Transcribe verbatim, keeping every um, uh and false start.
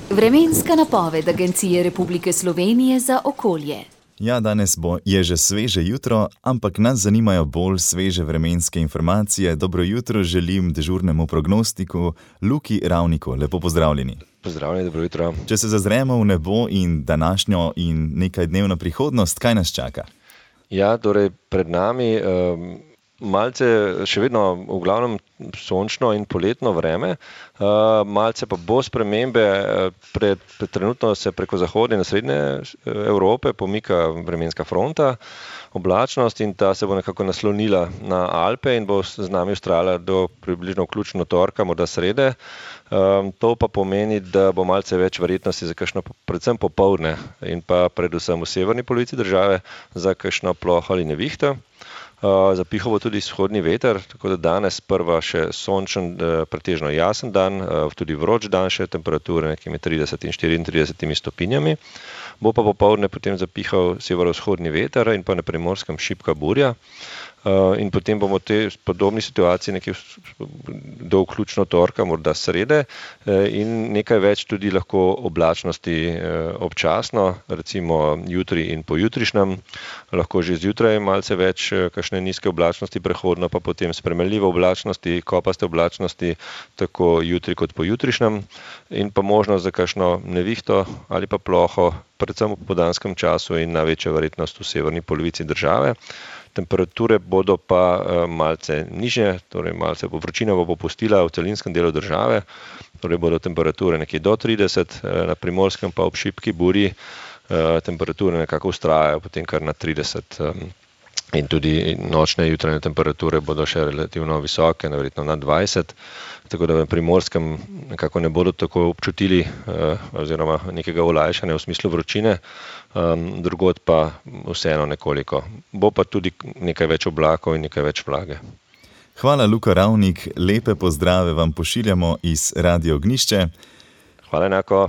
Vremenska napoved Agencije Republike Slovenije za okolje. Ja, danes bo je že sveže jutro, ampak nas zanimajo bolj sveže vremenske informacije. Dobro jutro želim dežurnemu prognostiku Luki Ravniku. Lepo pozdravljeni. Pozdravljeni, dobro jutro. Če se zazremo v nebo in današnjo in nekaj dnevno prihodnost, kaj nas čaka? Ja, torej pred nami um, malce še vedno v glavnem sončno in poletno vreme, uh, malce pa bo spremembe, pred, pred trenutno se preko zahodne in srednje Evrope pomika vremenska fronta, oblačnost in ta se bo nekako naslonila na Alpe in bo z nami vztrajala do približno vključno torka, morda srede. Um, to pa pomeni, da bo malce več verjetnosti za kakšno, predvsem popoldne in pa predvsem v severni polovici države za kakšno ploho ali nevihto. Uh, zapihal bo tudi vzhodni veter, tako da danes prva še sončen, uh, pretežno jasen dan, uh, tudi vroč dan, še temperature nekimi trideset in štiriintrideset stopinjami. Bo pa popoldne potem zapihal severovzhodni veter in pa na Primorskem šibka burja. Uh, in potem bomo te podobni situaciji nekaj do vključno torka, morda srede, uh, in nekaj več tudi lahko oblačnosti uh, občasno, recimo jutri in pojutrišnjem, lahko že zjutraj malce več uh, kakšne nizke oblačnosti, prehodno pa potem spremenljive oblačnosti, kopaste oblačnosti, tako jutri kot pojutrišnjem, in pa možnost za kakšno nevihto ali pa ploho, predvsem v popoldanskem času in največja verjetnost v severni polovici države. Temperature bodo pa malce nižje, torej malce vročina bo popustila v celinskem delu države, torej bodo temperature nekje do trideset, na Primorskem pa ob šibki burji temperature nekako vztrajajo potem kar na trideset. In tudi nočne jutranje temperature bodo še relativno visoke, verjetno nad dvajset, tako da v Primorskem nekako ne bodo tako občutili oziroma nekega olajšanja v smislu vročine, drugod pa vseeno nekoliko. Bo pa tudi nekaj več oblakov in nekaj več vlage. Hvala, Luka Ravnik, lepe pozdrave vam pošiljamo iz Radio Ognjišče. Hvala enako.